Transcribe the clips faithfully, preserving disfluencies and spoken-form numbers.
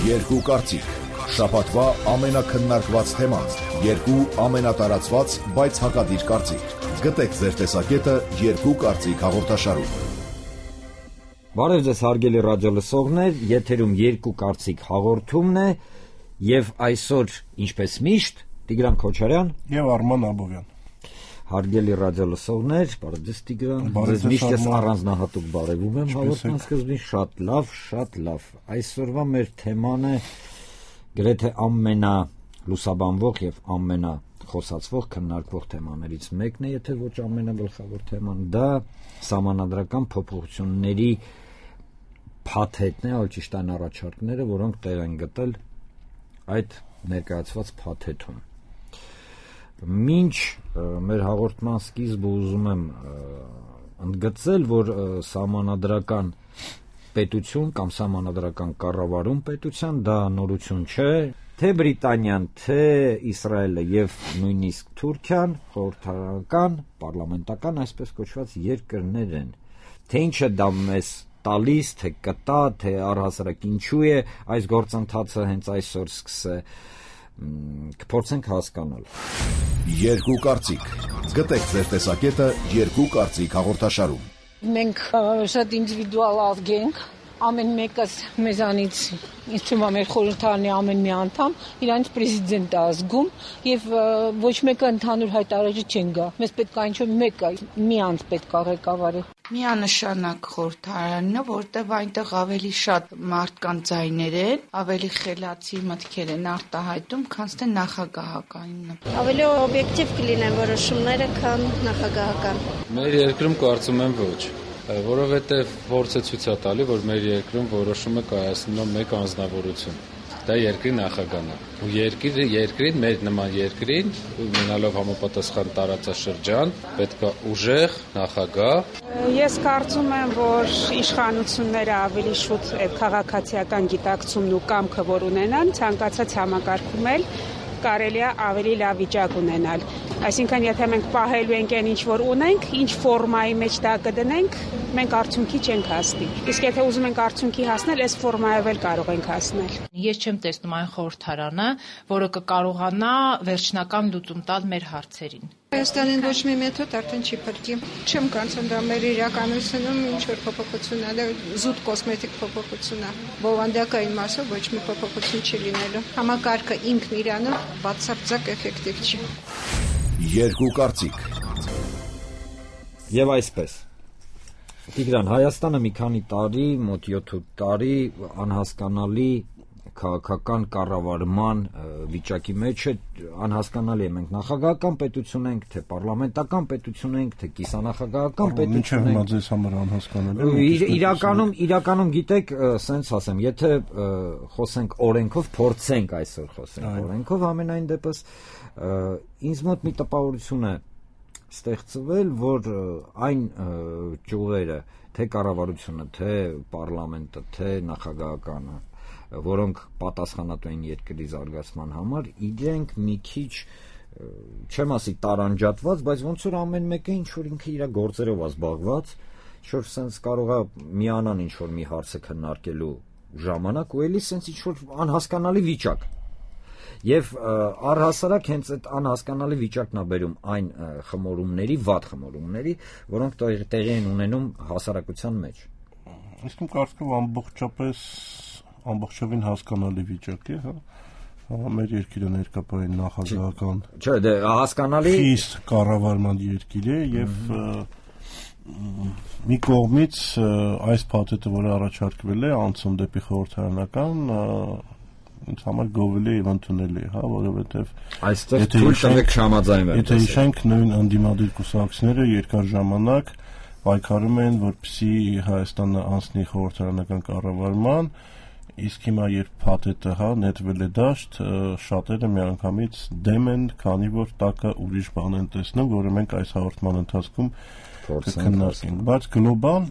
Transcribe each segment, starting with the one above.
Երկու կարծիք, շաբաթվա ամենակննարկված թեման, երկու ամենատարածված, բայց հակադիր կարծիք։ Գտեք ձեր տեսակետը երկու կարծիք հաղորդաշարում։ Բարև ձեզ հարգելի ռադիոլսողներ, եթերում երկու կարծիք հաղորդումն է եւ այսօր, ինչպես միշտ, Տիգրան Քոչարյան եւ Արման Աբովյան։ Հարգելի ռադիոլսողներ, բարև ձեզ Տիգրան, ձեզ միշտ ես առանձնահատուկ բարևում եմ հաղորդման սկզբին, շատ լավ, շատ լավ։ Այսօրվա մեր թեման է գրեթե ամենալուսաբանվող եւ ամենախոսացվող քննարկվող թեմաներից մեկն է, եթե ոչ ամենագլխավոր թեման, դա սահմանադրական փոփոխությունների փաթեթն է, այլ ճիշտ այն առաջարկները, որոնք տեղ են գտել այդ ներկայացված փաթեթում։ Մինչ մեր հաղորդման սկիզբը ուզում եմ ընդգծել, որ սահմանադրական պետություն կամ սահմանադրական կառավարում պետության դա նորություն չէ, թե Բրիտանիան, թե Իսրայելը եւ նույնիսկ Թուրքիան խորհրդարանական, պարլամենտական, այսպես կոչված երկրներ են։ Թե ինչ է դա մեզ տալիս, թե կտա, թե առհասարակ ինչու է այս գործընթացը հենց այսօր սկսե, կփորձենք հասկանալ։ Երկու կարծիք։ Գտեք ձեր տեսակետը երկու կարծիք հաղորդաշարում։ Մենք շատ ինդիվիդուալ ազգ ենք, ամեն մեկս մեզանից, ինձ թվում է մեր խորհրդարանի ամեն մի անդամ իրանց պրեզիդենտ է ազգում եւ ոչ մեկը ընդհանուր հայտարարիչ չեն գա։ Մեզ պետք է ինչ-որ մեկը միանց պետք է ղեկավարի։ Միանշանակ խորհրդարանն է, որտեղ այնտեղ ավելի շատ մարդկանց ձայներ են, ավելի խելացի մտքեր են արտահայտում, քան թե նախագահականինը։ Ավելի օբյեկտիվ կլինեն որոշումները, քան նախագահական։ Մեր երկրում կարծում եմ ոչ, որովհետև փորձը ցույց է տալի, որ մեր երկրում որոշումը կայացնում է մեկ անձնավորություն։ Դա երկրի նախագահն է։ Ու երկիրը երկրին մեր նման երկրին ունենալով համապատասխան տարածաշրջան պետք է ուժեղ նախագահ։ Ես կարծում եմ, որ իշխանությունները ավելի շուտ այդ քաղաքացիական գիտակցումն ու կամքը որ ունենան, ցանկացած համակարգում էլ կարելի է ավելի լավ վիճակ ունենալ։ Այսինքն, եթե մենք պահելու ենք այն ինչ որ ունենք, ինչ ֆորմայի մեջ դա կդնենք, մենք արդյունքի չենք հասնի։ Իսկ եթե ուզում ենք արդյունքի հասնել, այս ֆորմայով էլ կարող ենք հասնել։ Ես չեմ տեսնում այն խորհրդարանը, որը կկարողանա վերջնական լուծում տալ մեր հարցերին։ Հայաստանին ոչ մի մեթոդ արդեն չի փրկի։ Չեմ կարծում դա մեր իրականությունում ինչ որ փոփոխություն է, դա զուտ կոսմետիկ փոփոխություն է։ Բովանդակային մասով ոչ մի փոփոխություն չի լինելու։ Համակարգը ինքն իրանով բացարձակ էֆեկտիվ չի։ Երկու կարծիք։ Եվ այսպես։ Տիգրան, Հայաստանը մի քանի տարի, մոտ յոթ տարի անհասկանալի քաղաքական կառավարման վիճակի մեջ է, անհասկանալի է, մենք նախագահական պետություն ենք, թե պարլամենտական պետություն ենք, թե կիսանախագահական պետություն ենք։ Ինչը ձեզ համար անհասկանալի է։ Իրականում, իրականում գիտեք, սենց ասեմ, եթե խոսենք օրենքով, փորձենք այսօր խոսենք օրենքով, ամենայն դեպս ինձ մոտ մի տպավորություն է ստեղծվել, որ այն ճյուղերը, թե կառավարությունը, թե պարլամենտը, թե նախագահականը, որոնք պատասխանատու են երկրի զարգացման համար, իրենք մի քիչ, չեմ ասի տարանջատված, բայց ոնց որ ամեն մեկը ինչ որ ինքը իր գործերով է զբաղված, ինչ-որ սենց կարող է միանան ինչ-որ մի հարցը քննարկելու ժամանակ ու էլի սենց ինչ-որ անհասկանալի վիճակ։ Եվ առհասարակ հենց այդ անհասկանալի վիճակն է բերում այն խմորումների, վատ խմորումների, որոնք տեղի են ունենում հասարակության մեջ։ Իսկ իմ կարծիքով ամբողջապես ամբողջովին հասկանալի վիճակ է, հա։ Մեր երկիրը ներկայացնում նախագահական։ Չէ, դե հասկանալի խիստ կառավարման երկիր է եւ մի կողմից այս փաթեթը, որը առաջարկվել է անցում դեպի խորհրդարանական, ինձ համար գովելի եւ ընդունելի է, հա, որովհետեւ այստեղ թույլ տվեք չհամաձայնվեն։ Եթե հիշենք նույն անդիմադիր կուսակցությունները երկար ժամանակ պայքարում են, որպեսզի Հայաստանը անցնի խորհրդարանական կառավարման, իսկ հիմա երբ փաթեթը հա նետվել է դաշտ, շատերը միանգամից դեմ են, քանի որ տակը ուրիշ բան են տեսնում, որը մենք այս հաղորդման ընթացքում կքննարկենք։ Բայց գլոբալ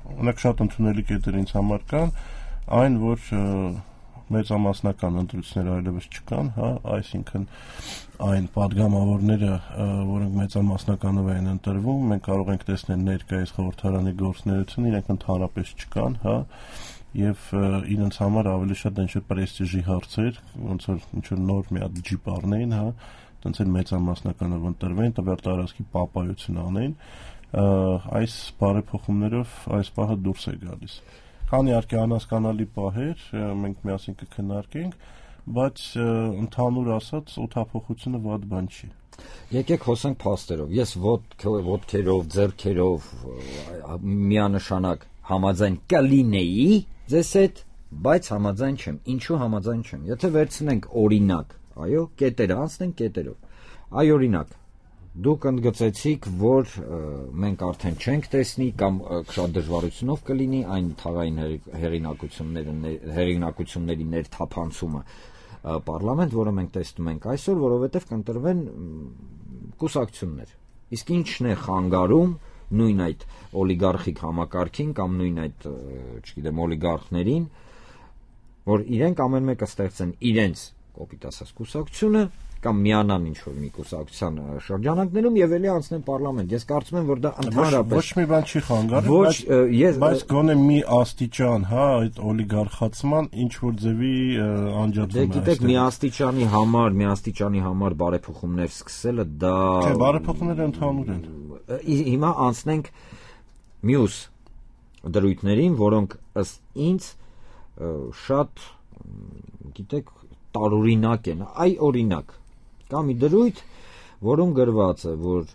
օրինակ շատ ընդունելի կետեր ինձ համար կան, այն որ մեծամասնական ընտրություններ այլևս չկան, հա, այսինքն այն падգամավորները, որոնք մեծամասնականով են ընտրվում, մենք կարող ենք տեսնել ներկայիս խորհրդարանի գործունեությունը, իրենք ընդհանրապես չկան, հա, եւ իրենց համար ավելի շատ ինչ-որ պրեստիժի հարցեր, ոնց որ ինչ-որ նոր մի հատ ջիպ առնեին, հա, տենց էլ մեծամասնականով ընտրվեն, տվյալ տարածքի պապայություն անեն, այս բարեփոխումներով այս պահը դուրս է գալիս։ Կան իհարկե անհասկանալի պահեր, մենք միասին կքննարկենք, բայց ընդհանուր ասած օդափոխությունը վատ բան չի։ Եկեք խոսենք փաստերով։ Ես ոտքերով, ձեռքերով միանշանակ համաձայն կլինեի ձեզ հետ, բայց համաձայն չեմ։ Ինչու համաձայն չեմ։ Եթե վերցնենք օրինակ, այո, կետերը անցնենք կետերով։ Այ օրինակ Դուք ընդգծեցիք, որ մենք արդեն չենք տեսնի կամ շատ դժվարությունով կլինի այն թաղային հեղինակությունների ներթափանցումը պարլամենտ, որը մենք տեսնում ենք այսօր, որովհետև կընտրվեն կուսակցություններ։ Իսկ ինչն է խանգարում նույն այդ օլիգարխիկ համակարգին կամ նույն այդ, չգիտեմ, օլիգարխներին, որ իրենք ամեն մեկը ստեղծեն իրենց կոպիտ ասած կուսակցությունը կամ միանան ինչ-որ մի կուսակցության շրջանակներում եւ ելի անցնեն պարլամենտ։ Ես կարծում եմ, որ դա ընդհանրապես ոչ մի բան չի խանգարում, բայց ես բայց գոնե մի աստիճան, հա, այդ օլիգարխացման ինչ որ ձևի անջատվում է։ Դե գիտեք, մի աստիճանի համար, մի աստիճանի համար բարեփոխումներ սկսելը դա Չէ, բարեփոխումները ընդհանուր են։ Հիմա անցնենք մյուս դրույթներին, որոնք ըստ ինձ շատ, գիտեք, տարօրինակ են։ Այ օրինակ կա մի դրույթ, որում գրված է, որ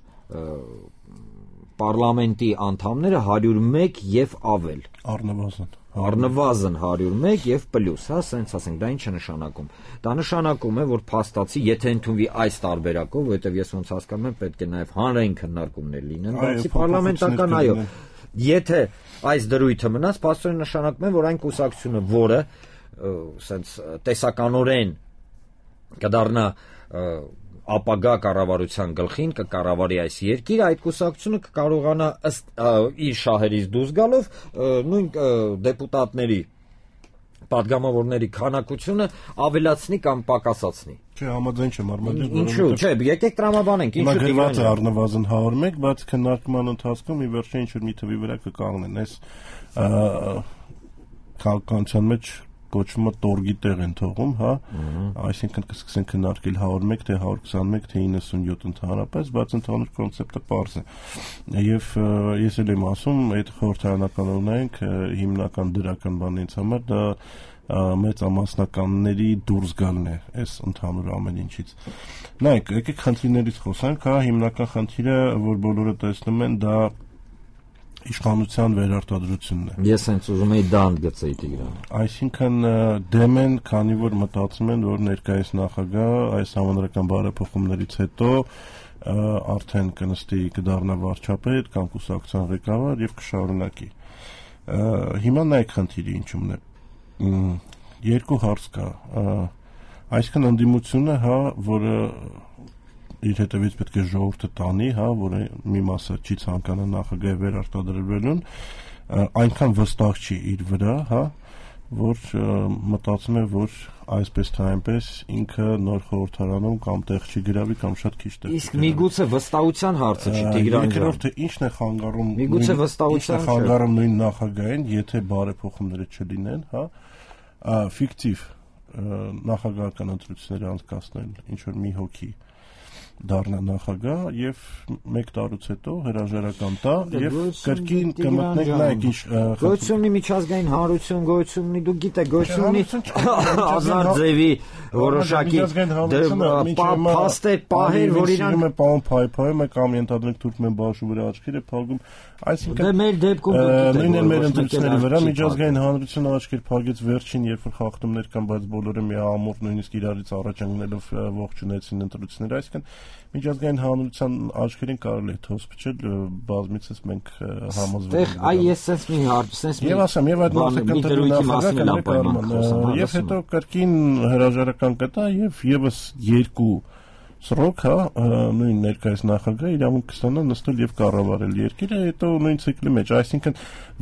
պարլամենտի անդամները հարյուր մեկ եւ ավել առնվազն առնվազն հարյուր մեկ եւ պլյուս, հա, ասենք, ասենք, դա ինչ է նշանակում։ Դա նշանակում է, որ փաստացի, եթե ընդունվի այս տարբերակով, որովհետեւ ես ոնց հասկանում եմ, պետք է նաեւ հանրային քննարկումներ լինեն, բացի պարլամենտական, այո։ Եթե այս դրույթը մնաց, փաստորեն նշանակում է, որ այն կուսակցությունը, որը սենց տեսականորեն կդառնա ապագա կառավարության գլխին, կկառավարի այս երկիրը, այդ կուսակցությունը կկարողանա ըստ իր շահերից դուրս գալով նույն դեպուտատների падգամավորների քանակությունը ավելացնի կամ պակասացնի։ Չէ, համաձայն չեմ, Արմեն։ Ինչու՞, չէ, եկեք տրամաբանենք, ինչու՞ դիվան է առնվազն հարյուր մեկ, բայց քննարկման ընթացքում ի վերջո ինչ որ մի թվի վրա կկանգնեն, այս քաղաքականության մեջ կոչումը տորգի տեղ են թողում, հա, այսինքն կսկսեն քննարկել հարյուր մեկ, թե հարյուր քսանմեկ, թե իննսունյոթ ընդհանրապես, բայց ընդհանուր կոնցեպտը պարզ է։ Եվ ես էլ եմ ասում, այդ խորհրդարանական օրենք հիմնական դրական բանն ինձ համար դա մեծամասնականների դուրս գալն է այս ընդհանուր ամեն ինչից։ Նայեք, եկեք խնդիրներից խոսանք, հա, հիմնական խնդիրը, որ բոլորը տեսնում են, դա իշխանության վերարտադրությունն է։ Ես հենց ուզում եի դա ընդգծեի Տիգրան։ Այսինքն դեմ են, քանի որ մտածում են, որ ներկայիս նախագահ այս համանրական բարեփոխումներից հետո արդեն կնստի կդառնա վարչապետ կամ կուսակցության ղեկավար եւ կշարունակի։ Հիմա նայեք խնդիրը ինչումն է։ Երկու հարց կա։ Այսինքն ընդդիմությունը, հա, որը իր հետևից պետք է ժողովուրդը տանի, հա, որը մի մասը չի ցանկանա նախագահի վերարտադրվելուն, այնքան վստահ չի իր վրա, հա, որ մտածում է, որ այսպես թե այնպես ինքը նոր խորհրդարանում կամ տեղ չի գրավի կամ շատ քիչ տեղ։ Իսկ միգուցե վստահության հարցը չի Տիգրան ջան։ Երկրորդը ինչն է խանգարում։ Միգուցե վստահության խանգարում նույն նախագահին, եթե բարեփոխումները չլինեն, հա, ֆիկտիվ նախագահական ընտրություններ անցկացնել, ինչ որ մի հոգի դառնա նախագահ եւ մեկ տարուց հետո հրաժարական տա եւ կրկին կմտնենք նայեք ինչ գոյությունի միջազգային հանրություն գոյությունի դու գիտեք գոյությունի ազար ձևի որոշակի փաստեր պահեր որ իրան պահում փայփայում է կամ ենթադրենք Թուրքմեն Բաշու վրա աչքերը փակում այսինքն դե մեր դեպքում նույնն էլ մեր ընտրությունների վրա միջազգային հանրությունը աչքեր փակեց վերջին երբ որ խախտումներ կան բայց բոլորը միամոռ նույնիսկ իրարից առաջ ընկնելով ողջունեցին ընտրությունները այսինքն միջազգային հանրության աչքերին կարելի է թոս փչել բազմիցս մենք համոզվել ենք։ Այ ես sense մի հարց, sense մի Եվ ասեմ, եւ այդ մարդը նախագահ եւ հետո կրկին հրաժարական կտա եւ եւս երկու Սրոք, հա, նույն ներկայիս նախագահը իրավունք կստանա նստել եւ կառավարել երկիրը, հետո նույն ցիկլի մեջ, այսինքն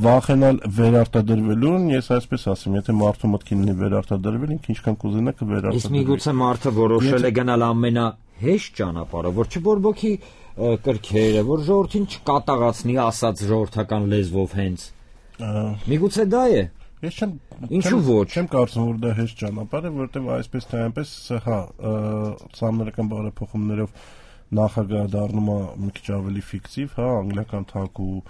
վախենալ վերարտադրվելուն, ես այսպես ասեմ, եթե մարդու մտքին լինի վերարտադրվել, ինքը ինչքան կուզենա կվերարտադրվի։ Իսկ միգուցե մարդը որոշել է գնալ ամենահեշտ ճանապարհը, որ չբորբոքի կրքերը, որ ժողովրդին չկատաղացնի, ասած ժողովրդական լեզվով հենց։ Միգուցե դա է։ Ես չեմ Ինչու ոչ։ Չեմ կարծում, որ դա հեշտ ճանապարհ է, որովհետև այսպես թե այնպես, հա, սահմանադրական բարեփոխումներով նախագահը դառնում է մի քիչ ավելի ֆիկտիվ, հա, անգլիական թակ ու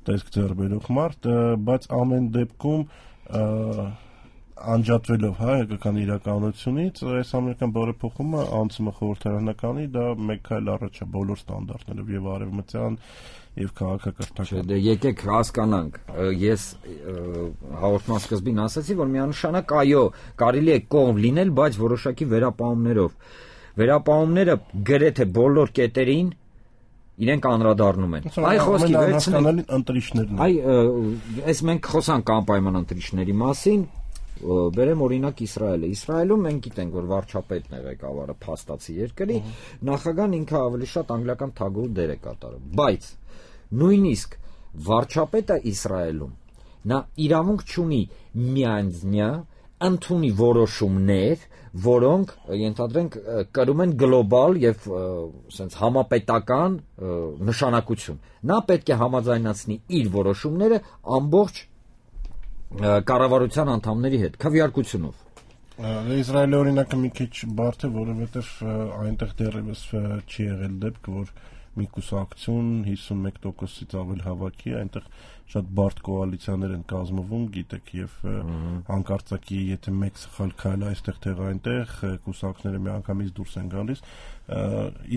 տեսք ձեռ բերող մարդ, բայց ամեն դեպքում անջատվելով, հա, հայկական իրականությունից, այս ամերիկյան բարեփոխումը անցումը խորհրդարանականի, դա մեկ քայլ առաջ է բոլոր ստանդարտներով եւ արևմտյան եւ քաղաքակրթական։ Դե եկեք հասկանանք, ես հաղորդման սկզբին ասացի, որ միանշանակ այո, կարելի է կողմ լինել, բայց որոշակի վերապահումներով։ Վերապահումները գրեթե բոլոր կետերին իրենք անդրադառնում են։ Այ խոսքի վերցնենք ընտրիչներն։ Այ այս մենք խոսանք անպայման ընտրիչների մասին, բերեմ օրինակ Իսրայելը։ Իսրայելում մենք գիտենք, որ վարչապետն է ղեկավարը փաստացի երկրի, նախագահան ինքը ավելի շատ անգլիական թագուհու դեր է կատարում։ Բայց նույնիսկ վարչապետը Իսրայելում նա իրավունք չունի միանձնյա ընդունի որոշումներ, որոնք ենթադրենք կրում են գլոբալ եւ ասենց համապետական նշանակություն։ Նա պետք է համաձայնացնի իր որոշումները ամբողջ կառավարության անդամների հետ քվեարկությունով։ Իսրայելի օրինակը մի քիչ բարդ է, որովհետև այնտեղ դեռևս չի եղել դեպք, որ մի կուսակցություն հիսունմեկ տոկոսից ավել հավաքի, այնտեղ շատ բարդ կոալիցիաներ են կազմվում, գիտեք, եւ հանկարծակի եթե մեկ սխալ քայլ այստեղ թեղ այնտեղ կուսակցները միանգամից դուրս են գալիս։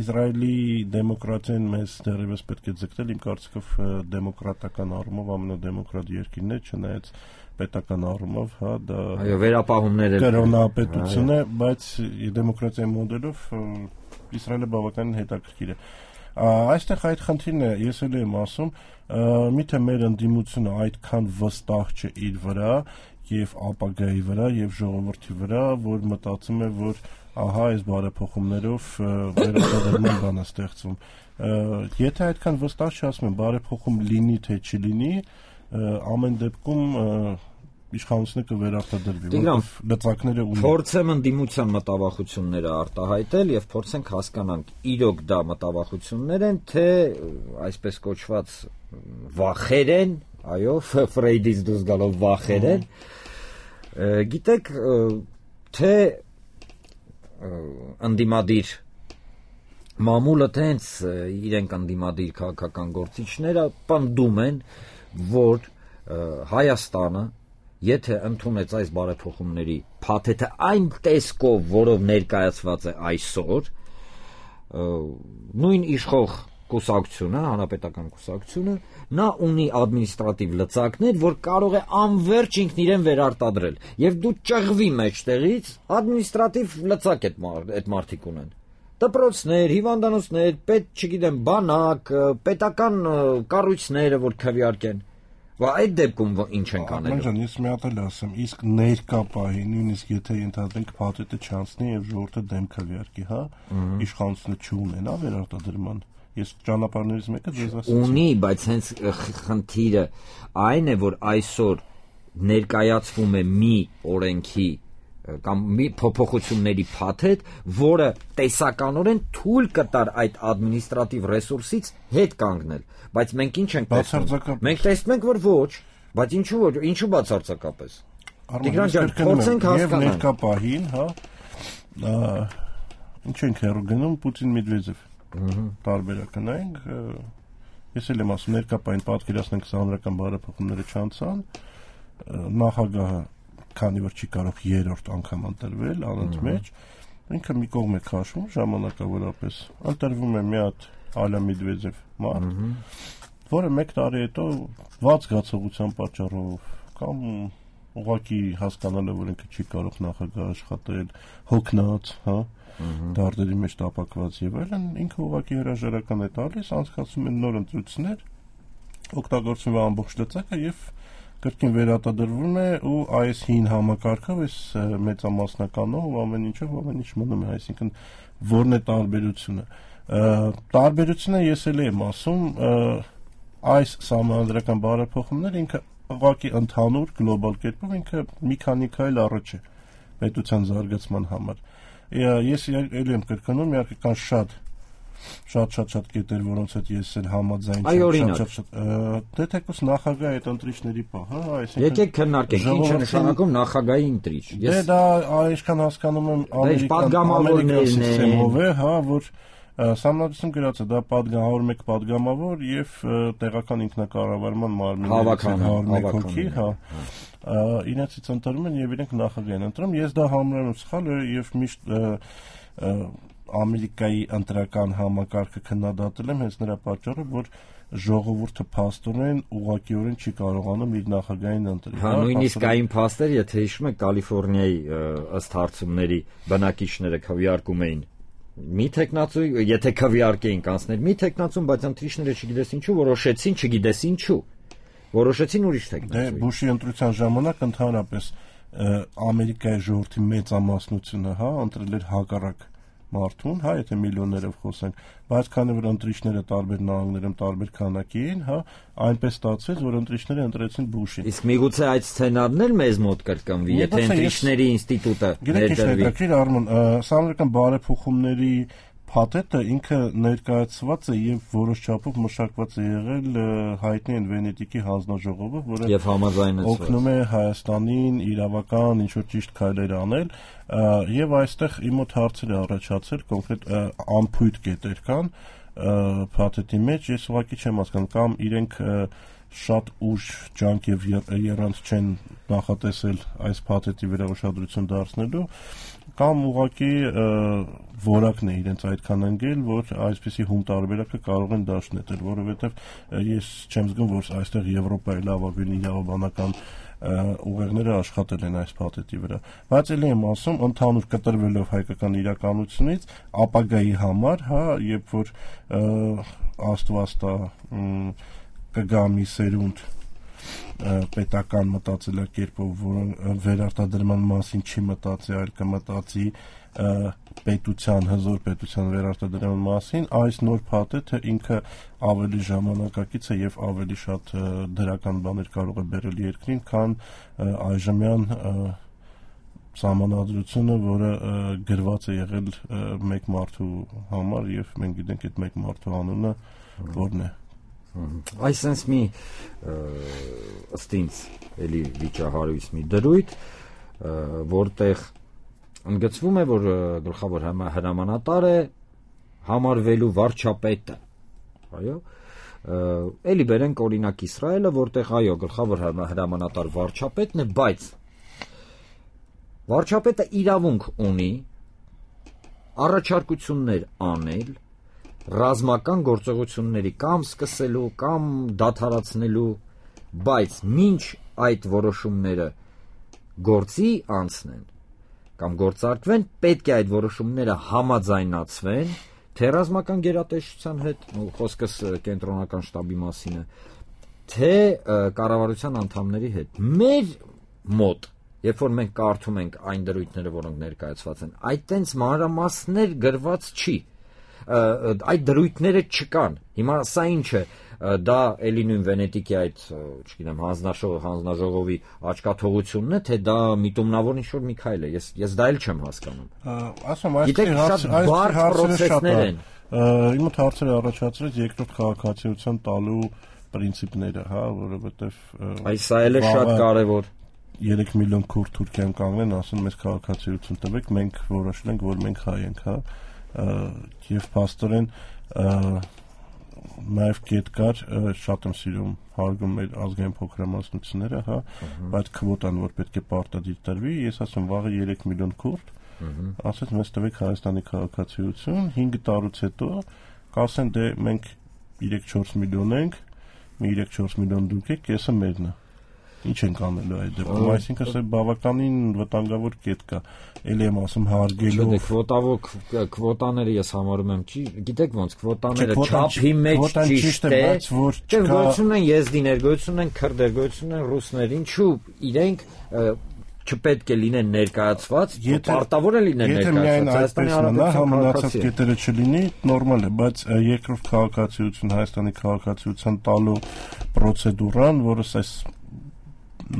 Իսրայելի դեմոկրատիան մեզ դեռևս պետք է ձգտել, իմ կարծիքով դեմոկրատական առումով ամենադեմոկրատ երկիրն է, չնայած պետական առումով, հա, դա այո, վերապահումներ կրոնապետություն է, բայց դեմոկրատիայի մոդելով Իսրայելը բավականին հետաքրքիր է։ Այստեղ այդ խնդիրն է, ես էլ եմ ասում, միթե մեր ընդդիմությունը այդքան վստահ չէ իր վրա եւ ապագայի վրա եւ ժողովրդի վրա, որ մտածում է, որ ահա այս բարեփոխումներով վերարտադրման բան է ստեղծվում։ Եթե այդքան վստահ չի, ասում եմ, բարեփոխում լինի թե չլինի, ամեն դեպքում իշխանությունը կվերարտադրվի, որովհետև լծակները ունեն։ Փորձեմ ընդդիմության մտավախությունները արտահայտել եւ փորձենք հասկանանք իրոք դա մտավախություններ են, թե այսպես կոչված վախեր են, այո, Ֆրեյդից դուրս գալով վախեր են։ Գիտեք, թե ընդդիմադիր մամուլը տենց իրենք ընդդիմադիր քաղաքական գործիչները պնդում են, որ Հայաստանը եթե ընդունեց այս բարեփոխումների փաթեթը այն տեսքով, որով ներկայացված է այսօր, նույն իշխող կուսակցությունը, հանրապետական կուսակցությունը, նա ունի ադմինիստրատիվ լծակներ, որ կարող է անverջ ինքն իրեն վերարտադրել, եւ դու ճղվի մեջտեղից ադմինիստրատիվ լծակ այդ մարդիկ ունեն։ Դպրոցներ, հիվանդանոցներ, պետ, չգիտեմ, բանակ, պետական կառույցները, որ քվեարկեն։ Và այդ դեպքում ինչ ենք անելու։ Մանջան, ես մի հատ էլ ասեմ, իսկ ներկա պահի, նույնիսկ եթե ենթադրենք փաթեթը չանցնի եւ ժողովուրդը դեմ քվեարկի, հա, իշխանությունը չունենա վերարտադրման։ Ես ճանապարհներից մեկը ձեզ ասեցի։ Ունի, բայց հենց խնդիրը այն է, որ այսօր ներկայացվում է մի օրենքի կամ մի փոփոխությունների փաթեթ, որը տեսականորեն թույլ կտար այդ ադմինիստրատիվ ռեսուրսից հետ կանգնել, բայց մենք ինչ ենք տեսնում։ Մենք տեսնում ենք, որ ոչ, բայց ինչու ոչ, ինչու բացարձակապես։ Տիգրան ջան, փորձենք հասկանալ։ Եվ ներկա պահին, հա, ինչ ենք հեռու գնում Պուտին-Մեդվեդև։ Տարբերակը նայենք, ես էլ եմ ասում, ներկա պահին պատկերացնենք հանրական բարեփոխումները չանցան, նախագահը քանի որ չի կարող երրորդ անգամ ընտրվել անընդմեջ, ինքը մի կողմ է քաշում ժամանակավորապես, ընտրվում է մի հատ Ալա Մեդվեդև մարդ, որը մեկ տարի հետո վատ զգացողության պատճառով կամ ուղղակի հասկանալով, որ ինքը չի կարող նախագահ աշխատել, հոգնած, հա, դարդերի մեջ տապակված եւ այլն, ինքը ուղղակի հրաժարական է տալիս, անցկացում են նոր ընտրություններ, օգտագործում է ամբողջ լծակը եւ կրկին վերարտադրվում է ու այս հին համակարգով, այս մեծամասնականով ամեն ինչով ամեն ինչ մնում է, այսինքն որն է տարբերությունը։ Տարբերությունը ես էլ եմ ասում, այս սահմանադրական բարեփոխումները ինքը ուղղակի ընդհանուր գլոբալ կերպով ինքը մի քանի քայլ առաջ է պետության զարգացման համար։ Ես էլ եմ կրկնում, իհարկե կան շատ շատ շատ շատ կետեր, որոնց հետ ես էլ համաձայն չեմ, շատ շատ դե թեկուզ նախագահի այդ ընտրիչների պահ, հա, այսինքն եկեք քննարկենք, ինչ է նշանակում նախագահի ընտրիչ։ Դե դա այսքան հասկանում եմ ամերիկյան սիստեմով է, հա, որ Սահմանադրություն գրած է, դա պատգամավոր մեկ պատգամավոր եւ տեղական ինքնակառավարման մարմիններից հարյուր մեկ հոգի, հա, իրենցից ընտրում են եւ իրենք նախագահ են ընտրում։ Ես դա համարում եմ սխալ եւ միշտ Ամերիկայի ընտրական համակարգը քննադատել եմ հենց նրա պատճառով, որ ժողովուրդը փաստորեն ուղղակիորեն չի կարողանում իր նախագահին ընտրել։ Հա, նույնիսկ այն փաստեր, եթե հիշում եք, Կալիֆոռնիայի ըստ հարցումների բնակիչները քվեարկում էին մի տեխնացու, եթե քվեարկեին կանցներ մի տեխնացուն, բայց ընտրիչները չգիտես ինչու որոշեցին, չգիտես ինչու։ Որոշեցին ուրիշ տեխնացու։ Դե Բուշի ընտրության ժամանակ ընդհանրապես Ամերիկայի ժողովրդի մեծամասնությունը, հա, ընտրել էր հակառակ մարդուն, հա, եթե միլիոններով խոսենք, բայց քանի որ ընտրիչները տարբեր նահանգներում տարբեր քանակի են, հա, այնպես ստացվեց, որ ընտրիչները ընտրեցին Բուշին։ Իսկ միգուցե այդ սցենարն էլ մեզ մոտ կրկնվի, եթե ընտրիչների ինստիտուտը ներդրվի։ Գիտեք, Արմեն, սահմանադրական բարեփոխումների փաթեթը ինքը ներկայացված է եւ որոշ չափով մշակված է եղել հայտնի են Վենետիկի հանձնաժողովը, որը օգնում է Հայաստանին իրավական ինչ-որ ճիշտ քայլեր անել, եւ այստեղ իմ մոտ հարցեր է առաջացել, կոնկրետ անփույթ կետեր կան փաթեթի մեջ, ես ուղղակի չեմ հասկանում, կամ իրենք շատ ուժ ջանք եւ երրանց չեն նախատեսել այս փաթեթի վրա ուշադրություն դարձնելու, կամ ուղղակի որակն է իրենց այդքան ընկել, որ այսպիսի հում տարբերակը կարող են դաշնետել, որովհետև ես չեմ զգում, որ այստեղ Եվրոպայի լավագույն իրավաբանական ուղեղները աշխատել են այս փաթեթի վրա, բայց ելի եմ ասում, ընդհանուր կտրվելով հայկական իրականությունից ապագայի համար, հա, երբ որ աստվածտա կգա մի սերունդ պետական մտածելակերպով, որը վերարտադրման մասին չի մտածի, այլ կմտածի պետության, հզոր պետության վերարտադրման մասին, այս նոր փաթեթը ինքը ավելի ժամանակակից է եւ ավելի շատ դրական բաներ կարող է բերել երկրին, քան այժմյան սահմանադրությունը, որը գրված է եղել մեկ մարդու համար եւ մենք գիտենք այդ մեկ մարդու անունը որն է։ Այսպես մի ըստ ինձ էլի վիճահարույց մի դրույթ, որտեղ ընդգծվում է, որ գլխավոր հրամանատար է համարվելու վարչապետը, այո, էլի բերենք օրինակ Իսրայելը, որտեղ այո, գլխավոր հրամանատար վարչապետն է, բայց վարչապետը իրավունք ունի առաջարկություններ անել ռազմական գործողությունների կամ սկսելու կամ դադարեցնելու, բայց մինչ այդ որոշումները գործի անցնեն կամ գործարկվեն, պետք է այդ որոշումները համաձայնացվեն թե ռազմական գերատեսչության հետ, խոսքս կենտրոնական շտաբի մասին է, թե կառավարության անդամների հետ։ Մեր մոտ, երբ որ մենք կարդում ենք այն դրույթները, որոնք ներկայացված են, այդ տենց մանրամասներ գրված չի, այդ դրույթները չկան։ Հիմա սա ինչ է, դա էլի նույն Վենետիկի այդ, չգիտեմ, հանձնաժողովի աչքաթողությունն է, թե դա միտումնավոր ինչ-որ մի քայլ է, ես ես դա էլ չեմ հասկանում։ Ասում, այս հարցերը են։ Իմ մոտ հարցերը առաջացրեց երկրորդ քաղաքացիության տալու պրինցիպները, հա, որովհետև այս սա էլ է շատ կարևոր։ երեք միլիոն քուրդ Թուրքիան կանգնեն, ասեն մեզ քաղաքացիություն տվեք, մենք որոշել ենք, որ մենք հայ ենք, հա, եւ փաստորեն նաև կետ կար, շատ եմ սիրում հարգում մեր ազգային փոքրամասնությունները, հա, բայց քվոտան, որ պետք է պարտադիր տրվի, ես ասում վաղը երեք միլիոն քուրդ, ասած մեզ տվեք Հայաստանի քաղաքացիություն, հինգ տարուց հետո կասեն դե մենք երեք չորս միլիոն ենք, մի երեք չորս միլիոն դուք եք, կեսը մերն է։ Ինչ ենք անելու այդ դեպքում, այսինքն սա բավականին վտանգավոր կետ կա։ Էլի եմ ասում հարգելով։ Չէ, քվոտավոք քվոտաները ես համարում եմ, չի, գիտեք ոնց քվոտաները չափի մեջ ճիշտ է, բայց որ չկա գոյություն են եզդիներ, գոյություն են քրդեր, գոյություն են ռուսներ, ինչու իրենք չպետք է լինեն ներկայացված, պարտավոր է լինեն ներկայացված։ Հայաստանի Հանրապետության մնացած կետերը չլինի, նորմալ է, բայց երկրորդ քաղաքացիություն, Հայաստանի քաղաքացիության տալու պրոցեդուրան, որը այս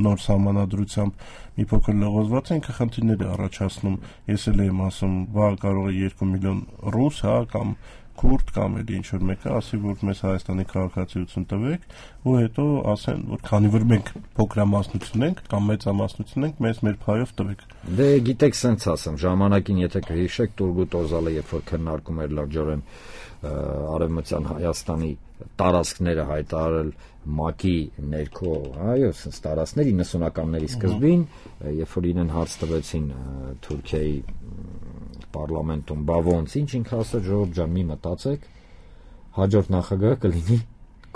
նոր սահմանադրությամբ մի փոքր լղոզված է, ինքը խնդիրներ է առաջացնում։ Ես էլ եմ ասում, բա կարող է երկու միլիոն ռուս, հա, կամ քուրդ կամ էլ ինչ որ մեկը ասի, որ մեզ Հայաստանի քաղաքացիություն տվեք, ու հետո ասեն, որ քանի որ մենք փոքրամասնություն ենք կամ մեծամասնություն ենք, մեզ մեր փայով տվեք։ Դե գիտեք, սենց ասեմ, ժամանակին եթե կհիշեք Տուրգուտ Օզալը, երբ որ քննարկում էր լրջորեն Արևմտյան Հայաստանի տարածքները հայտարարել ՄԱԿ-ի ներքո, այո, սենց տարածքներ իննսունականների սկզբին, երբ որ իրեն հարց տվեցին Թուրքիայի պարլամենտում, բա ոնց, ինչ ինքը ասել, ժողովուրդ ջան, մի մտածեք, հաջորդ նախագահը կլինի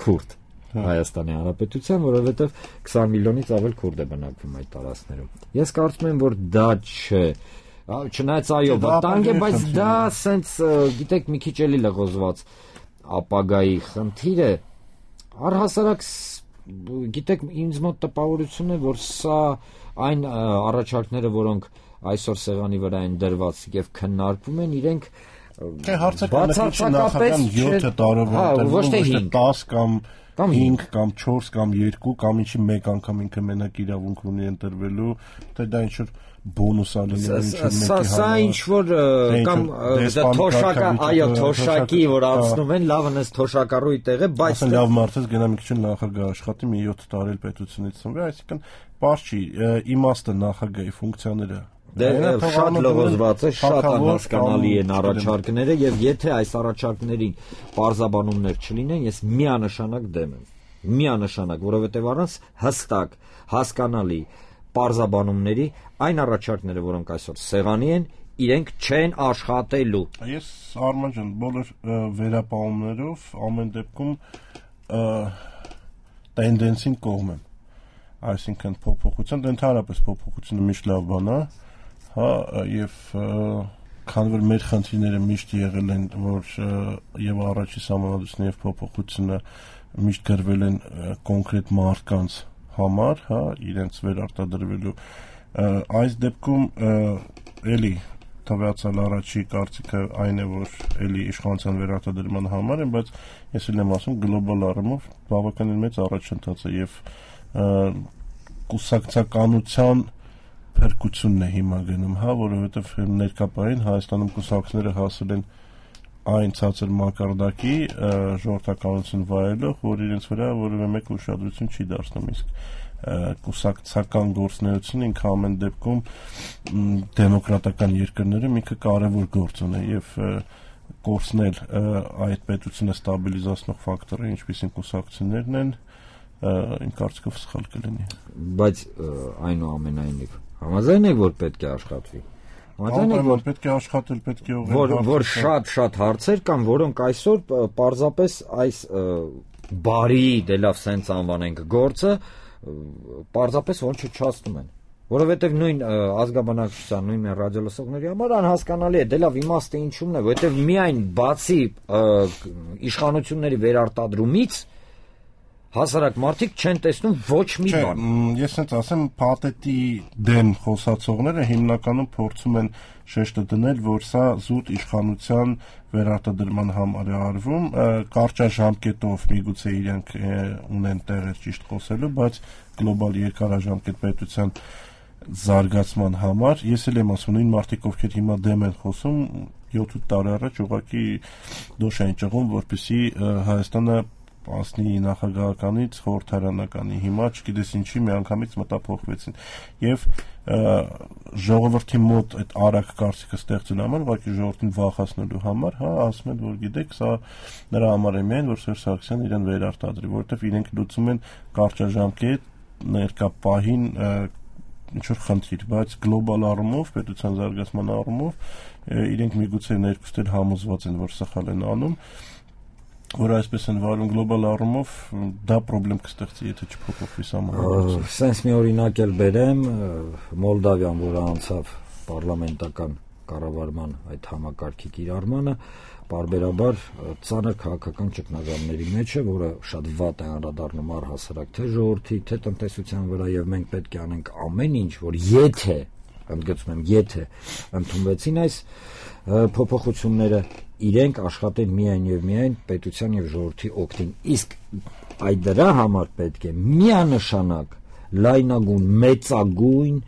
քուրդ Հայաստանի Հանրապետության, որովհետև քսան միլիոնից ավել քուրդ է բնակվում այդ տարածքներում։ Ես կարծում եմ, որ դա չէ, չնայած այո, վտանգ է, բայց դա սենց, գիտեք, մի քիչ էլի լղոզված ապագայի խնդիր է, առհասարակ, գիտեք, ինձ մոտ տպավորություն է, որ սա այն առաջարկները, որոնք այսօր սեղանի վրա են դրված եւ քննարկվում են, իրենք բացարձակապես յոթ տարով ոչ թե դես կամ հինգ կամ չորս կամ երկու կամ ինչի մեկ անգամ ինքը մենակ իրավունք ունի ընտրվելու, թե դա ինչ որ բոնուս ալին սա ինչ որ կամ թոշակա, այո, թոշակի, որ անցնում են, լավն էս թոշակառուի տեղ է, բայց լավ մարդես գնա մի քիչ նախագահ աշխատի, մի յոթ տարի պետությունից ծնվի, այսինքն բարձ չի, իմաստը նախագահի ֆունկցիաները Դե շատ լողոզված է, շատ անհասկանալի են առաջարկները եւ եթե այս առաջարկներին պարզաբանումներ չլինեն, ես միանշանակ դեմ եմ։ Միանշանակ, որովհետեւ առանց հստակ, հասկանալի պարզաբանումների այն առաջարկները, որոնք այսօր սեղանի են, իրենք չեն աշխատելու։ Ես Արման ջան, բոլոր վերապահումներով ամեն դեպքում տենդենսին կողմ եմ։ Այսինքն փոփոխություն, ընդհանրապես փոփոխությունը միշտ լավ բան է, հա, եւ քանի որ մեր խնդիրները միշտ եղել են, որ եւ առաջի սահմանադրությունը եւ փոփոխությունը միշտ գրվել են կոնկրետ մարդկանց համար, հա, իրենց վերարտադրվելու, այս դեպքում էլի տվյալացալ առաջի կարծիքը այն է, որ էլի իշխանության վերարտադրման համար են, բայց ես էլ եմ ասում գլոբալ առումով բավականին մեծ առաջընթաց է եւ կուսակցականության փրկությունն է հիմա գնում, հա, որովհետև ներկապային Հայաստանում կուսակցները հասել են այն ցածր մակարդակի ժողովրդականություն վայելող, որ իրենց վրա որևէ մեկ ուշադրություն չի դարձնում, իսկ կուսակցական գործունեությունը ինքը ամեն դեպքում դեմոկրատական երկրներում ինքը կարևոր գործ ունի եւ կորցնել այդ պետությունը ստաբիլիզացնող ֆակտորը, ինչպիսին կուսակցություններն են, իմ կարծիքով սխալ կլինի։ Բայց այնուամենայնիվ համաձայն եք, որ պետք է աշխատվի։ Համաձայն եք, որ պետք է աշխատել, պետք է որ որ շատ-շատ հարցեր կան, որոնք այսօր պարզապես այս բարի, դե լավ սենց անվանենք գործը, պարզապես ոնց չչացնում են։ Որովհետև նույն ազգաբնակչության, նույն ռադիոլսողների համար անհասկանալի է, դե լավ իմաստը ինչումն է, որովհետև միայն բացի իշխանությունների վերարտադրումից հասարակ մարդիկ չեն տեսնում ոչ մի բան։ Ես ասենց ասեմ, փաթեթի դեմ խոսացողները հիմնականում փորձում են շեշտը դնել, որ սա զուտ իշխանության վերարտադրման համար է արվում, կարճաժամկետով միգուցե իրենք ունեն տեղեր ճիշտ խոսելու, բայց գլոբալ երկարաժամկետ պետության զարգացման համար, ես էլ եմ ասում, նույն մարդիկ, ովքեր հիմա դեմ են խոսում, յոթ տարի առաջ ուղղակի դոշ են ճղում, որպեսզի Հայաստանը ասնի նախագահականից խորհրդարանականի, հիմա չգիտես ինչի միանգամից մտափոխվեցին եւ ժողովրդի մոտ այդ արագ կարծիքը ստեղծելու համար, ուղղակի ժողովրդին վախացնելու համար, հա, ասում են, որ գիտեք, սա նրա համար է միայն, որ Սերժ Սարգսյանն իրեն վերարտադրի, որովհետեւ իրենք լուծում են կարճաժամկետ ներկա պահին ինչ որ խնդիր, բայց գլոբալ առումով, պետության զարգացման առումով իրենք միգուցե ներկուստել համոզված են, որ սխալ են անում որ այսպես են վարում գլոբալ առումով, դա խնդրեմ կստեղծի, եթե չփոփոխվի սահմանադրությունը։ Սենց մի օրինակ էլ բերեմ, Մոլդավիան, որը անցավ պարլամենտական կառավարման այդ համակարգի կիրառմանը, պարբերաբար ծանր քաղաքական ճգնաժամերի մեջ է, որը շատ վատ է անդրադառնում առհասարակ թե ժողովրդի, թե տնտեսության վրա, եւ մենք պետք է անենք ամեն ինչ, որ եթե, ընդգծում եմ, եթե ընդունվեցին այս փոփոխությունները, իրենք աշխատեն միայն եւ միայն պետության եւ ժողովրդի օգտին։ Իսկ այդ դրա համար պետք է միանշանակ լայնագույն, մեծագույն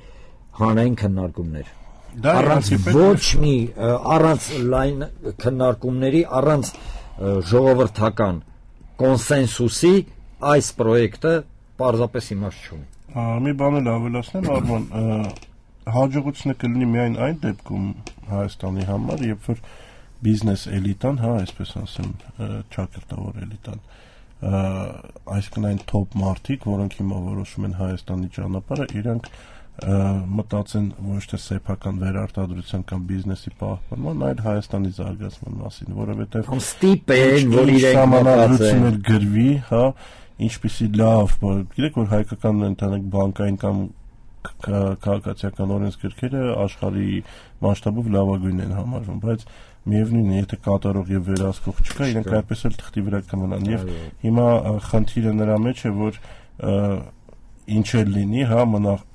հանրային քննարկումներ։ Առանց ոչ մի առանց լայն քննարկումների, առանց ժողովրդական կոնսենսուսի այս պրոյեկտը պարզապես իմաստ չունի։ Մի բան էլ ավելացնեմ, Արման, հաջողությունը կլինի միայն այն դեպքում Հայաստանի համար, երբ որ բիզնես էլիտան, հա, այսպես ասեմ, ճակերտավոր էլիտան, այսինքն այն top մարդիկ, որոնք հիմա որոշում են Հայաստանի ճանապարհը, իրանք մտածեն ոչ թե սեփական վերարտադրության կամ բիզնեսի պահպանման, այլ Հայաստանի զարգացման մասին, որովհետև ստիպեն, որ իրենք մտածեն գրվի, հա, ինչպիսի լավ, գիտեք, որ հայկական ընդհանուր բանկային կամ քաղաքացիական օրենսգրքերը աշխարհի մասշտաբով լավագույնն են համարվում, բայց միևնույնն է, եթե կատարող եւ վերահսկող չկա, իրենք այդպես էլ թղթի վրա կմնան։ Եվ հիմա խնդիրը նրա մեջ է, որ ինչ էլ լինի, հա,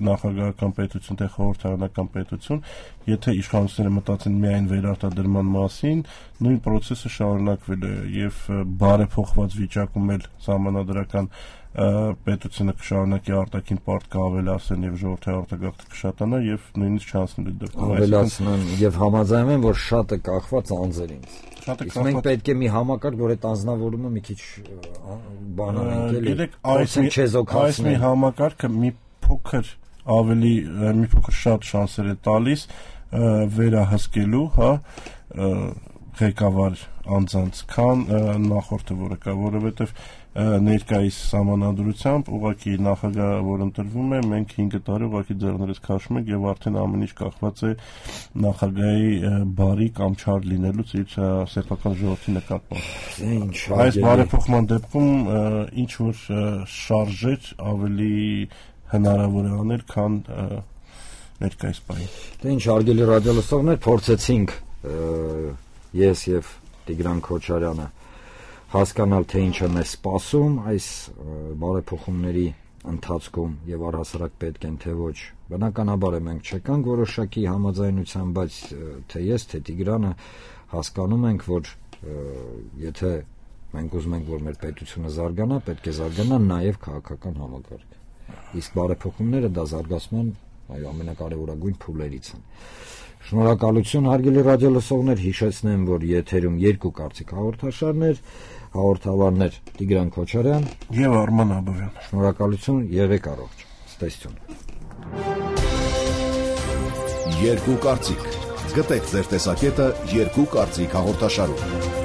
նախագահական պետություն, թե խորհրդարանական պետություն, եթե իշխանությունները մտածեն միայն վերարտադրման մասին, նույն process-ը շարունակվել է եւ բարեփոխված վիճակում էլ սահմանադրական պետությունը կշարունակի արտաքին պարտքը ավելացնել եւ ժողովրդի արտագաղթը կշատանա եւ նույնիսկ չանցնելու դեպքում ավելացնեն եւ համաձայնում են, որ շատը կախված անձերից։ Իսկ մենք պետք է մի համակարգ, որ այդ անձնավորումը մի քիչ բանանենք, էլի։ Գիտեք, այս մի համակարգը մի փոքր ավելի մի փոքր շատ շանսեր է տալիս վերահսկելու, հա, ղեկավար անձանց, քան նախորդը, որը կա, որովհետեւ ներկայիս սահմանադրությամբ ուղղակի նախագահ, որ ընտրվում է, մենք հինգ տարի ուղղակի ձեռներս քաշում ենք եւ արդեն ամեն ինչ կախված է նախագահի բարի կամ չար լինելուց իր սեփական ժողովրդի նկատմամբ։ Այս բարեփոխման դեպքում ինչ որ շարժեր ավելի հնարավոր է անել, քան ներկայիս պահին։ Դե ինչ, հարգելի ռադիոլսողներ, փորձեցինք ես եւ Տիգրան Քոչարյանը հասկանալ, թե ինչ է մեզ սպասում այս բարեփոխումների ընթացքում եւ առհասարակ պետք են թե ոչ։ Բնականաբար է մենք չեկանք որոշակի համաձայնության, բայց թե ես, թե Տիգրանը հասկանում ենք, որ եթե մենք ուզում ենք, որ մեր պետությունը զարգանա, պետք է զարգանա նաեւ քաղաքական համակարգը։ Իսկ բարեփոխումները դա զարգացման այո ամենակարևորագույն փուլերից են։ Շնորհակալություն, հարգելի ռադիոլսողներ, հիշեցնեմ, որ եթերում երկու կարծիք հաղորդաշարներ, հաղորդավարներ Տիգրան Քոչարյան եւ Արման Աբովյան։ Շնորհակալություն, եղեք առողջ։ Ստեսություն։ Երկու կարծիք։ Գտեք ձեր տեսակետը երկու կարծիք հաղորդաշարում։